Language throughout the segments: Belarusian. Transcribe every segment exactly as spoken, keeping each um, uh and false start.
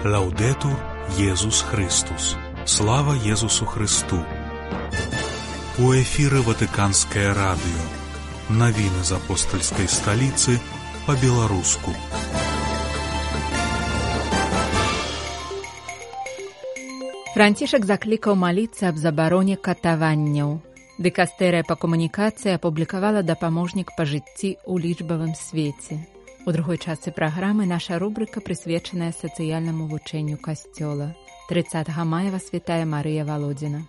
Лаўдэтур Езус Христус. Слава Езусу Христу. У эфіры Ватыканскае радыё. Навіны з апостальскай сталіцы па-беларуску. Францішак заклікаў маліцца аб забароне катаванняў. Дыкастэрыя па камунікацыі апублікавала дапаможнік па жыцці ў лічбавым свеце. У другой частцы праграмы наша рубрыка прысвечаная сацыяльнаму вучэнню касцёла. трыццатага мая вас вітае Марыя Валодзіна.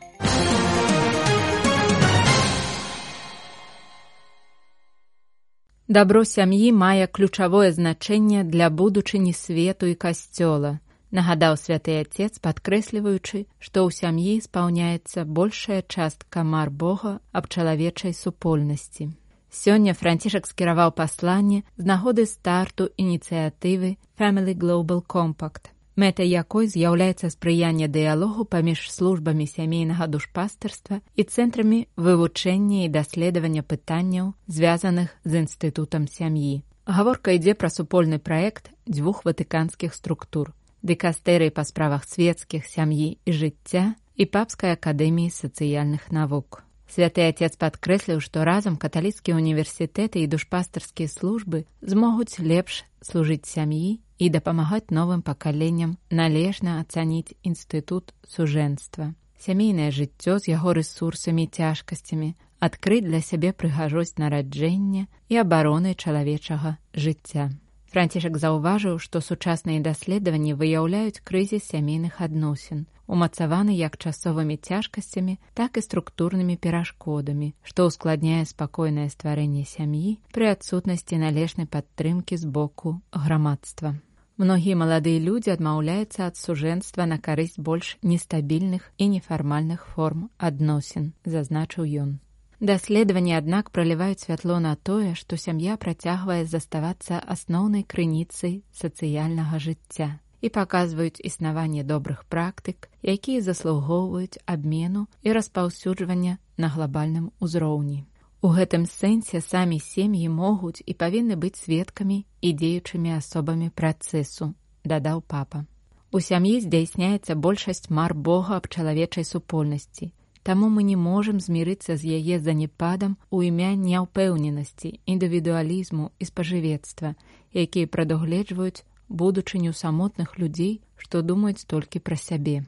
Дабро сям'і мае ключавое значэнне для будучыні свету і касцёла, нагадаў святы Отец, падкрэсліваючы, што ў сям'і спаўняецца большая частка мар Бога аб чалавечай супольнасці. Сёння Францішак скіраваў пасланне з нагоды старту ініцыятывы Family Global Compact, мэтай якой з'яўляецца спрыянне дыялогу паміж службамі сямейнага душпастырства і цэнтрамі вывучэння і даследавання пытанняў, звязаных з інстытутам сям'і. Гаворка ідзе пра супольны праект дзвюх ватыканскіх структур – дыкастэрыі па справах свецкіх, сям'і і жыцця і Папскай акадэміі сацыяльных навук. Святы Отец падкрэсліў, што разам каталіцкія універсітэты і душпастырскія службы змогуць лепш служыць сям'і і дапамагаць новым пакаленням належна ацаніць інстытут сужэнства. Сямейнае жыццё з яго рэсурсамі і цяжкасцямі, адкрыць для сябе прыгажосць нараджэння і абароны чалавечага жыцця. Францішак заўважыў, што сучасныя даследаванні выяўляюць крызіс сямейных адносін, умацаваны як часовымі цяжкасцямі, так і структурнымі перашкодамі, што ўскладняе спакойнае стварэнне сям'і пры адсутнасці належнай падтрымкі з боку грамадства. Многія маладыя людзі адмаўляюцца ад сужэнства на карысць больш нестабільных і нефармальных форм адносін, зазначыў ён. Даследаванні, аднак, праліваюць святло на тое, што сям'я працягвае заставацца асноўнай крыніцай сацыяльнага жыцця і паказваюць існаванне добрых практык, якія заслугоўваюць абмену і распаўсюджвання на глабальным узроўні. У гэтым сэнсе самі сем'і могуць і павінны быць сведкамі і дзеючымі асобамі працэсу, дадаў папа. У сям'і здзяйсняецца большасць мар Бога аб чалавечай супольнасці, таму мы не можам змірыцца з яе занепадам у імя няўпэўненасці, індывідуалізму і спажывецтва, якія прадугледжваюць будучыню самотных людзей, што думаюць толькі пра сябе.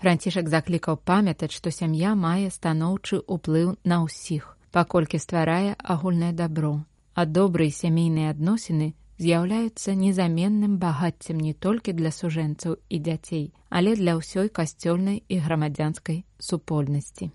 Францішак заклікаў памятаць, што сям'я мае станоўчы ўплыў на ўсіх, паколькі стварае агульнае дабро, а добрыя сямейныя адносіны з'яўляюцца незаменным багаццем не толькі для сужэнцаў і дзяцей, але для ўсёй касцёльнай і грамадзянскай супольнасці.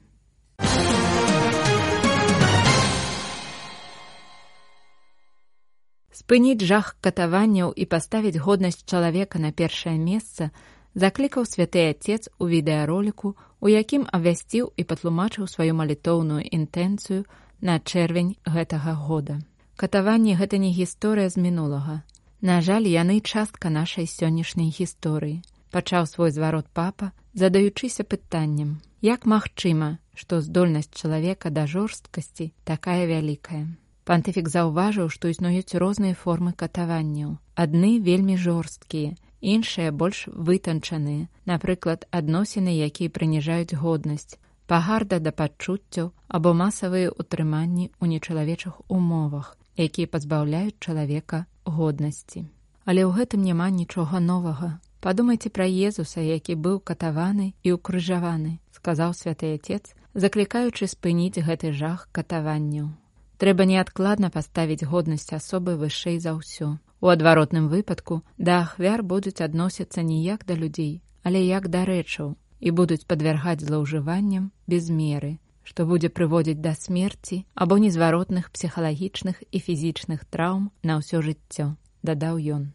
Спыніць жах катаванняў і паставіць годнасць чалавека на першае месца заклікаў святы Отец у відэароліку, у якім абвясціў і патлумачыў сваю малітоўную інтэнцыю на чэрвень гэтага года. Катаванні – гэта не гісторыя з мінулага. На жаль, яны частка нашай сённяшняй гісторыі. Пачаў свой зварот папа, задаючыся пытаннем, як магчыма, што здольнасць чалавека да жорсткасці такая вялікая. Пантыфік заўважыў, што існуюць розныя формы катаванняў. Адны вельмі жорсткія, іншыя больш вытанчаныя, напрыклад, адносіны, якія прыніжаюць годнасць, пагарда да пачуццяў або масавыя ўтрыманні ў нечалавечых умовах, якія пазбаўляюць чалавека годнасці. Але ў гэтым няма нічога новага. Падумайце пра Езуса, які быў катаваны і ўкрыжаваны, сказаў святы Отец, заклікаючы спыніць гэты жах катаванняў. Трэба неадкладна паставіць годнасць асобы вышэй за ўсё. У адваротным выпадку да ахвяр будуць адносіцца не як да людзей, але як да рэчаў, і будуць падвяргаць злоўжыванням без меры, што будзе прыводзіць да смерці або незваротных псіхалагічных і фізічных траўм на ўсё жыццё, дадаў ён.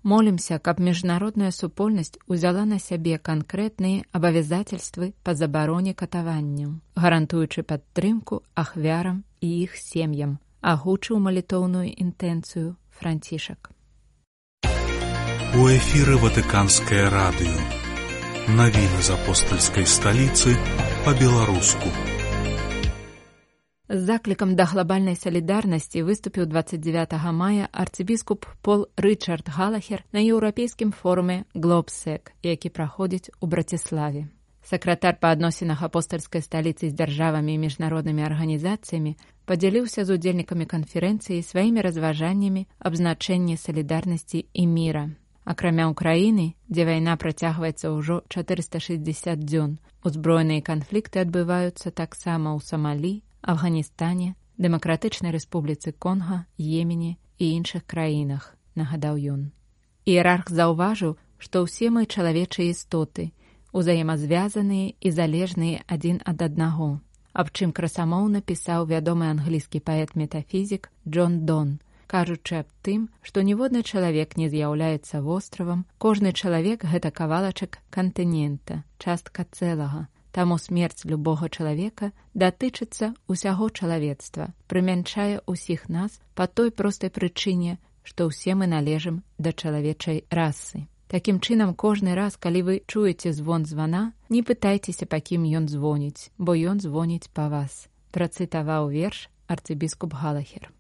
Молімся, каб міжнародная супольнасць узяла на сябе канкрэтныя абавязацельствы па забароне катаванняў, гарантуючы падтрымку ахвярам і іх сем'ям, агучыў малітоўную інтэнцыю Францішак. У эфіры Ватыканскае радыё. Навіны з апостальскай сталіцы па-беларуску. З заклікам да глабальнай салідарнасці выступіў дваццаць дзевятага мая арцыбіскуп Пол Рычард Галахер на еўрапейскім форуме «Глобсек», які праходзіць у Браціславе. Сакратар па адносінах апостальскай сталіцы з дзяржавамі і міжнароднымі арганізацыямі падзяліўся з удзельнікамі канферэнцыі сваімі разважаннямі аб значэнні салідарнасці і міра. Акрамя Ўкраіны, дзе вайна працягваецца ўжо чатырыста шэсцьдзесят дзён, узброеныя канфлікты адбываюцца таксама ў Самалі, Афганістане, Дэмакратычнай Рэспубліцы Конга, Йемене і іншых краінах, нагадаў ён. Іерарх заўважыў, што ўсе мы чалавечыя істоты, узаемазвязаныя і залежныя адзін ад аднаго, аб чым красамоўна пісаў вядомы англійскі паэт-метафізік Джон Дон, кажучы аб тым, што ніводны чалавек не з'яўляецца востравам, кожны чалавек — гэта кавалачак кантынента, частка цэлага. Таму смерць любога чалавека датычыцца ўсяго чалавецтва, прымянчае ўсіх нас па той простай прычыне, што ўсе мы належым да чалавечай расы. Такім чынам, кожны раз, калі вы чуеце звон звана, не пытайцеся, па кім ён звоніць, бо ён звоніць па вас, працытаваў верш арцыбіскуп Галахер.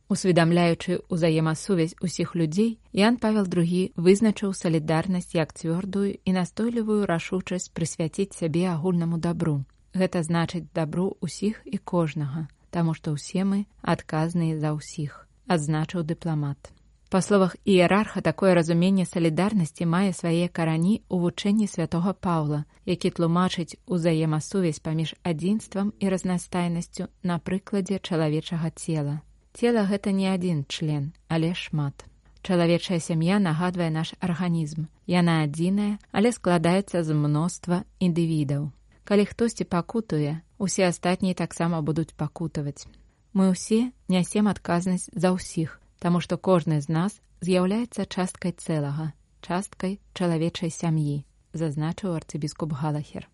Усведамляючы ўзаемасувязь усіх людзей, Ян Павел другі вызначыў салідарнасць як цвёрдую і настойлівую рашучасць прысвяціць сябе агульнаму дабру. Гэта значыць дабру ўсіх і кожнага, таму што ўсе мы адказныя за ўсіх, адзначыў дыпламат. Па словах іерарха, такое разуменне салідарнасці мае свае карані ў вучэнні святога Паўла, які тлумачыць узаемасувязь паміж адзінствам і разнастайнасцю на прыкладзе чалавечага цела. Цела — гэта не адзін член, але шмат. Чалавечая сям'я нагадвае наш арганізм. Яна адзіная, але складаецца з мноства індывідаў. Калі хтосьці пакутуе, усе астатнія таксама будуць пакутаваць. Мы ўсе нясем адказнасць за ўсіх, таму што кожны з нас з'яўляецца часткай цэлага, часткай чалавечай сям'і, зазначыў арцыбіскуп Галахер.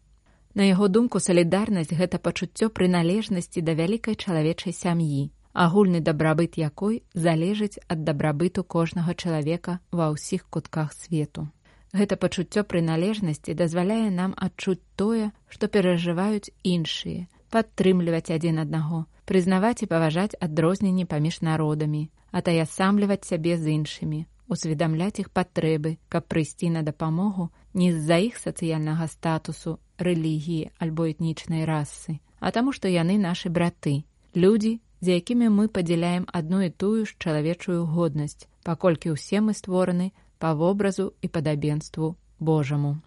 На яго думку, салідарнасць — гэта пачуццё прыналежнасці да вялікай чалавечай сям'і, агульны дабрабыт якой залежыць ад дабрабыту кожнага чалавека ва ўсіх кутках свету. Гэта пачуццё прыналежнасці дазваляе нам адчуць тое, што перажываюць іншыя, падтрымліваць адзін аднаго, прызнаваць і паважаць адрозненні паміж народамі, атаясамліваць сябе з іншымі, усведамляць іх патрэбы, каб прыйсці на дапамогу не з-за іх сацыяльнага статусу, рэлігіі альбо этнічнай расы, а таму, што яны нашы браты, людзі, з якімі мы падзяляем адну і тую ж чалавечую годнасць, паколькі ўсе мы створаны па вобразу і падабенству Божаму.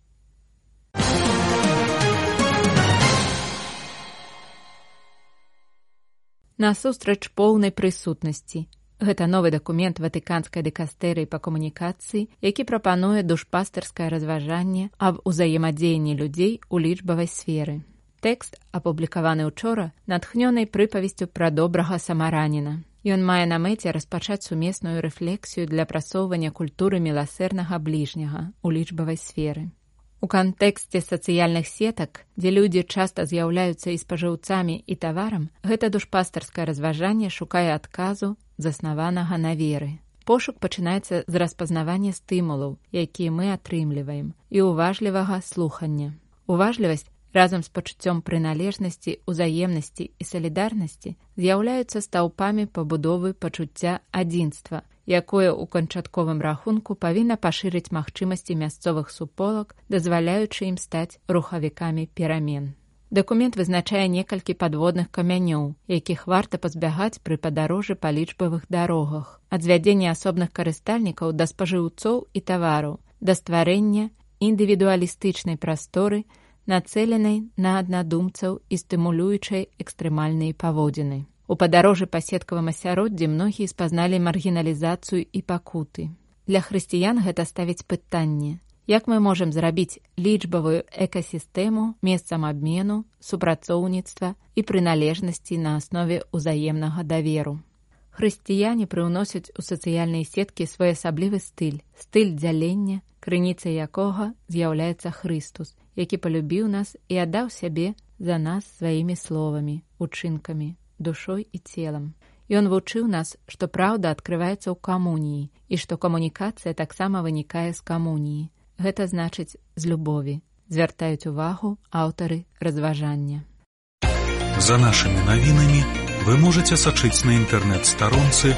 Насустрач поўнай прысутнасці. Гэта новы дакумент Ватыканскай дыкастэрыі па камунікацыі, які прапануе душпастырскае разважанне аб узаемадзеянні людзей у лічбавай сферы. Тэкст, апублікаваны ўчора, натхнёны прыпавесцю пра добрага самараніна. Ён мае на мэце распачаць сумесную рэфлексію для прасоўвання культуры міласэрнага бліжняга ў лічбавай сферы. У кантэксце сацыяльных сетак, дзе людзі часта з'яўляюцца і спажыўцамі, і таварам, гэта душпастарскае разважанне шукае адказу, заснаванага на веры. Пошук пачынаецца з распазнавання стымулаў, якія мы атрымліваем, і уважлівага слухання. Уважлівасць разам з пачуццём прыналежнасці, узаемнасці і салідарнасці з'яўляюцца стаўпамі пабудовы пачуцця адзінства, якое ў канчатковым рахунку павінна пашырыць магчымасці мясцовых суполак, дазваляючы ім стаць рухавікамі перамен. Дакумент вызначае некалькі падводных камянёў, якіх варта пазбягаць пры падарожжы па лічбавых дарогах, ад звядзення асобных карыстальнікаў да спажыўцоў і тавараў, да стварэння індывідуалістычнай прасторы, нацэленай на аднадумцаў і стымулюючай экстрэмальныя паводзіны. У падарожжы па сеткавым асяроддзі многія спазналі маргіналізацыю і пакуты. Для хрысціян гэта ставіць пытанне: як мы можам зрабіць лічбавую экасістэму месцам абмену, супрацоўніцтва і прыналежнасці на аснове ўзаемнага даверу? Хрысціяне прыўносяць у сацыяльныя сеткі своеасаблівы стыль, стыль дзялення, крыніцай якога з'яўляецца Хрыстус, які палюбіў нас і аддаў сябе за нас сваімі словамі, учынкамі, душой і целам. Ён вучыў нас, што праўда адкрываецца ў камуніі і што камунікацыя таксама вынікае з камуніі. Гэта значыць з любові, звяртаюць увагу аўтары разважання. За нашымі навінамі Вы можете сачыць на інтэрнэт-старонцы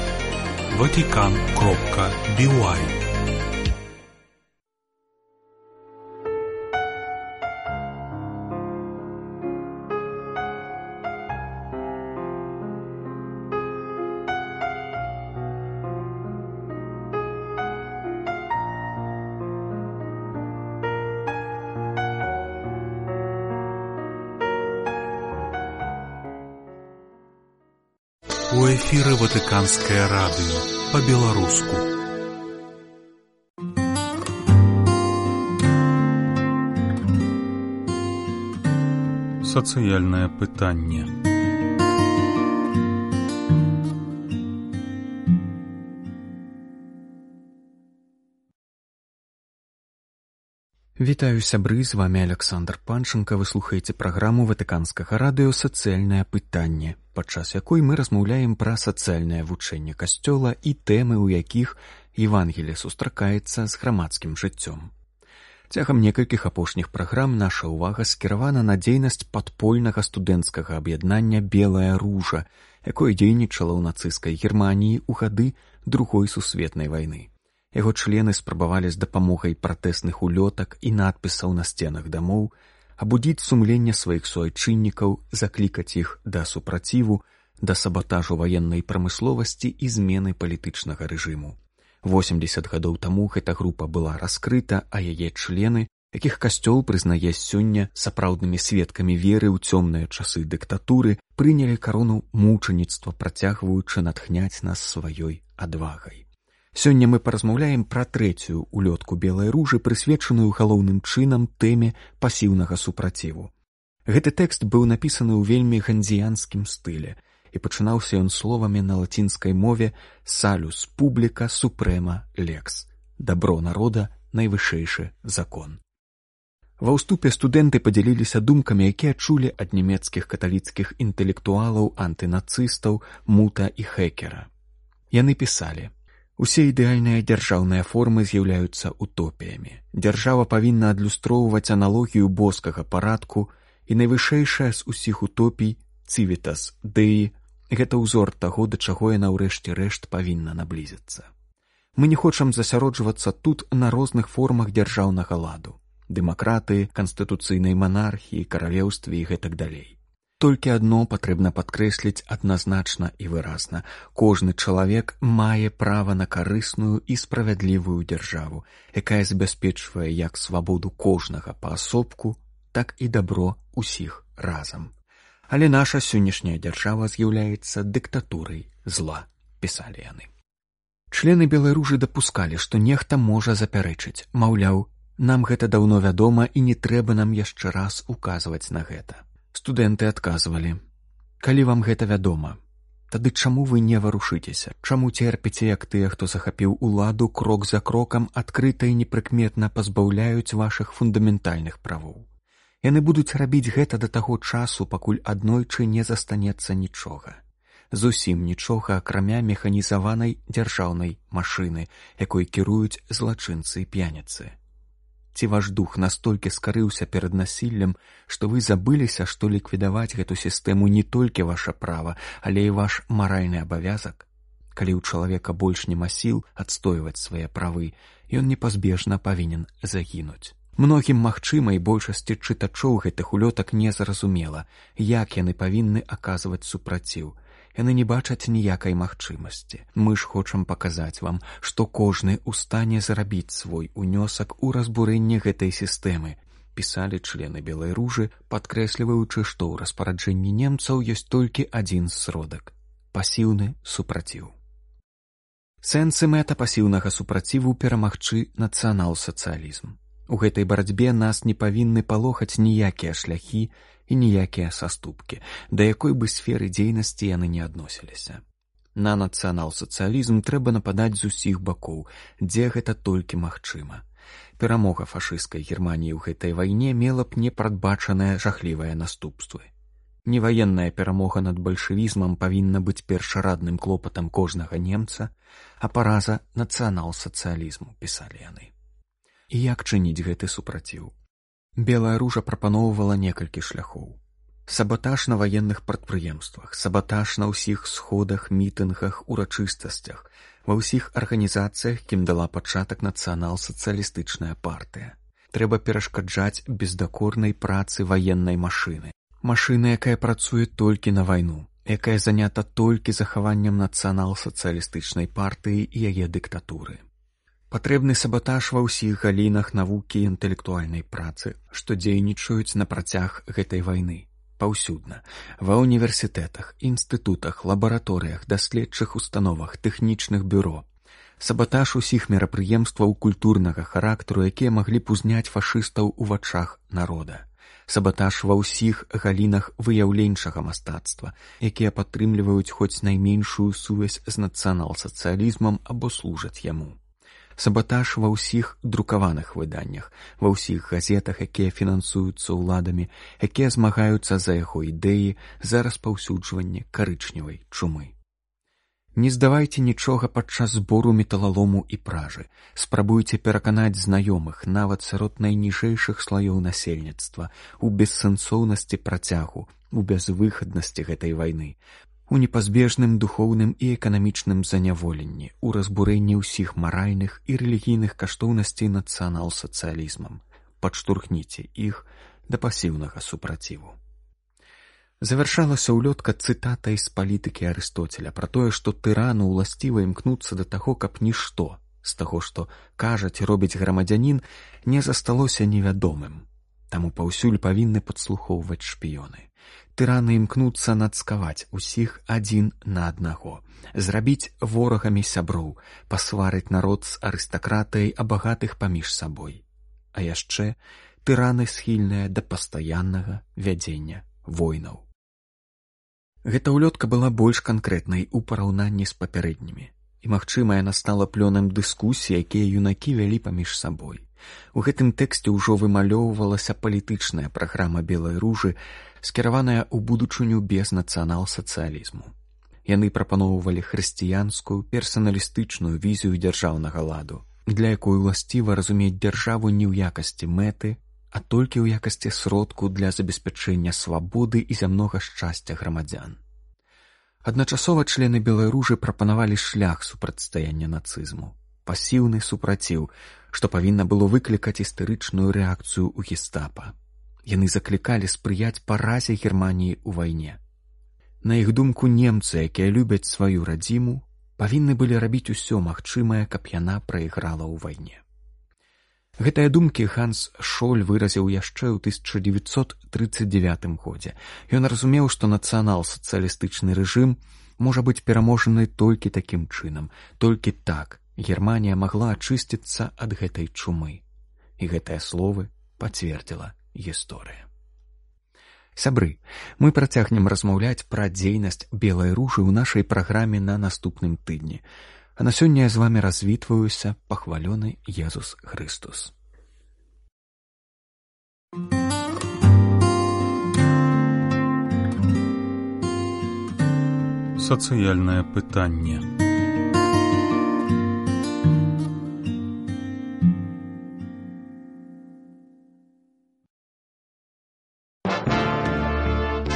ватикан кропка би уай. У эфіры Ватыканскае радыё па-беларуску. Сацыяльнае пытанне. Вітаю, сябры, з вами Александр Панченко. Вы слухаеце праграму Ватыканскага радыё «Сацыяльнае пытанне», падчас якой мы размаўляем пра сацыяльнае вучэнне касцёла і тэмы, у якіх Евангелие сустракаецца з грамадскім жыццём. Цягам некалькіх апошніх праграм наша ўвага скіравана на дзейнасць падпольнага студэнцкага аб'яднання «Белая ружа», якое дзейнічала ў нацысцкай Германіі ў гады Другой сусветнай вайны. Яго члены спрабавалі з дапамогай пратэсных улётак і надпісаў на сценах дамоў абудзіць сумленне сваіх суайчыннікаў, заклікаць іх да супраціву, да сабатажу ваеннай прамысловасці і змены палітычнага рэжыму. восемдзесят гадоў таму гэта група была раскрыта, а яе члены, якіх касцёл прызнае сёння сапраўднымі сведкамі веры ў цёмныя часы дыктатуры, прынялі карону мучаніцтва, працягваючы натхняць нас сваёй адвагай. Сёння мы паразмаўляем пра трэцюю улётку белай ружы, прысвечаную галоўным чынам тэме пасіўнага супраціву. Гэты тэкст быў напісаны ў вельмі гандзіянскім стылі, і пачынаўся ён словамі на лацінскай мове «Salus publica suprema lex» – «Дабро народа – найвышэйшы закон». Ва ўступе студэнты падзяліліся думкамі, якія чулі ад нямецкіх каталіцкіх інтэлектуалаў, антынацыстаў Мута і Хекера. Яны пісалі: «Усе ідэальныя дзяржаўныя формы з'яўляюцца утопіямі. Дзяржава павінна адлюстроўваць аналогію боскага парадку, і найвышэйшая з усіх утопій Civitas Dei – гэта ўзор таго, да чаго яна ўрэшце рэшт павінна наблізіцца. Мы не хочам засяроджвацца тут на розных формах дзяржаўнага ладу – дэмакратыі, канстытуцыйнай манархіі, каралеўстве і гэтак далей. Толькі адно патрэбна падкрэсліць адназначна і выразна. Кожны чалавек мае права на карысную і справядлівую дзяржаву, якая забяспечвае як свабоду кожнага паасобку, так і дабро ўсіх разам. Але наша сённяшняя дзяржава з'яўляецца дыктатурай зла», – пісалі яны. Члены Белай ружы дапускалі, што нехта можа запярэчыць, маўляў, нам гэта даўно вядома і не трэба нам яшчэ раз указваць на гэта. Студэнты адказвалі: «Калі вам гэта вядома, тады чаму вы не варушыцеся? Чаму церпіце, як тыя, хто захапіў уладу, крок за крокам адкрыта і непрыкметна пазбаўляюць вашых фундаментальных правоў? Яны будуць рабіць гэта да таго часу, пакуль аднойчы не застанецца нічога. Зусім нічога, акрамя механізаванай дзяржаўнай машыны, якой кіруюць злачынцы і п'яніцы. Ці ваш дух настолькі скарыўся перад насіллем, што вы забыліся, што ліквідаваць гэту сістэму не толькі ваша права, але і ваш маральны абавязак? Калі ў чалавека больш няма сіл адстойваць свае правы, ён непазбежна павінен загінуць. Многім магчыма і большасці чытачоў гэтых улётак незразумела, як яны павінны аказваць супраціў. Яны не бачаць ніякай магчымасці. Мы ж хочам паказаць вам, што кожны ў стане зрабіць свой унёсак у разбурэнне гэтай сістэмы», – пісалі члены Белай ружы, падкрэсліваючы, што ў распараджэнні немцаў ёсць толькі адзін сродак – пасіўны супраціў. Сэнс і мэта пасіўнага супраціву перамагчы нацыянал-сацыялізм. У гэтай барацьбе нас не павінны палохаць ніякія шляхі і ніякія саступкі, да якой бы сферы дзейнасці яны не адносіліся. На нацыянал-сацыялізм трэба нападаць з усіх бакоў, дзе гэта толькі магчыма. Перамога фашысцкай Германіі ў гэтай вайне мела б непрадбачаныя жахлівыя наступствы. Неваенная перамога над бальшавізмам павінна быць першарадным клопатам кожнага немца, а параза нацыянал-сацыялізму, пісалі яны. І як чыніць гэты супраціў? Белая ружа прапаноўвала некалькі шляхоў. Сабатаж на ваенных прадпрыемствах, сабатаж на ўсіх сходах, мітынгах, урачыстасцях, ва ўсіх арганізацыях, кім дала пачатак нацыянал-сацыялістычная партыя. Трэба перашкаджаць бездакорнай працы ваеннай машыны. Машына, якая працуе толькі на вайну, якая занята толькі захаваннем нацыянал-сацыялістычнай партыі і яе дыктатуры. Патрэбны сабатаж ва ўсіх галінах навукі і інтэлектуальнай працы, што дзейнічаюць на працяг гэтай вайны. Паўсюдна, ва універсітэтах, інстытутах, лабараторыях, даследчых установах, тэхнічных бюро. Сабатаж усіх мерапрыемстваў культурнага характару, якія маглі б узняць фашыстаў у вачах народа. Сабатаж ва ўсіх галінах выяўленчага мастацтва, якія падтрымліваюць хоць найменшую сувязь з нацыянал-сацыялізмам або служаць яму. Сабатаж ва ўсіх друкаваных выданнях, ва ўсіх газетах, якія фінансуюцца ўладамі, якія змагаюцца за яго ідэі, за распаўсюджванне карычневай чумы. Не здавайце нічога падчас збору металалому і пражы. Спрабуйце пераканаць знаёмых, нават сярод найніжэйшых слаёў насельніцтва, у бессэнсоўнасці працягу, у бязвыхаднасці гэтай вайны, у непазбежным духоўным і эканамічным заняволенні, у разбурэнні ўсіх маральных і рэлігійных каштоўнасцей нацыянал-сацыялізмам. Падштурхніце іх да пасіўнага супраціву. Завяршалася ўлётка цытатай з палітыкі Арыстоцеля пра тое, што тырану ўласціва імкнуцца да таго, каб нішто з таго, што кажаць і робіць грамадзянін, не засталося невядомым. Таму паўсюль павінны падслухоўваць шпіёны. Тыраны імкнуцца нацкаваць усіх адзін на аднаго, зрабіць ворагамі сяброў, пасварыць народ з арыстакратыяй, а багатых паміж сабой. А яшчэ тыраны схільныя да пастаяннага вядзення войнаў. Гэта ўлётка была больш канкрэтнай у параўнанні з папярэднімі, і, магчыма, яна стала плёнам дыскусій, якія юнакі вялі паміж сабой. У гэтым тэксце ўжо вымалёўвалася палітычная праграма Белай ружы, скіраваная ў будучыню без нацыянал-сацыялізму. Яны прапаноўвалі хрысціянскую, персаналістычную візію дзяржаўнага ладу, для якой уласціва разумець дзяржаву не ў якасці мэты, а толькі ў якасці сродку для забеспячэння свабоды і зямнога шчасця грамадзян. Адначасова члены Белай ружы прапанавалі шлях супрацьстаяння нацызму, пасіўны супраціў, што павінна было выклікаць істэрычную рэакцыю ў гестапа. Яны заклікалі спрыяць паразе Германіі ў вайне. На іх думку, немцы, якія любяць сваю радзіму, павінны былі рабіць усё магчымае, каб яна прайграла ў вайне. Гэтыя думкі Ганс Шоль выразіў яшчэ ў тысяча дзевяцьсот трыццаць дзевятым годзе. Ён разумеў, што нацыянал-сацыялістычны рэжым можа быць пераможаны толькі такім чынам, толькі так Германія магла ачысціцца ад гэтай чумы. І гэтыя словы пацвердзіла гісторыя. Сябры, мы працягнем размаўляць пра дзейнасць Белай ружы ў нашай праграме на наступным тыдні. А на сёння я з вамі развітваюся, пахвалёны Езус Христус. Сацыяльнае пытанне.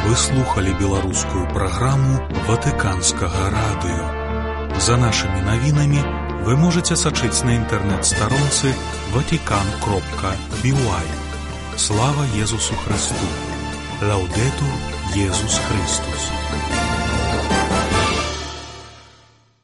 Вы слухали беларускую праграму Ватыканскага радыё. За нашими навінамі вы можете сачыць на інтэрнэт-старонцы ватикан кропка би уай. Слава Езусу Христу! Лаўдэтур Езус Христус!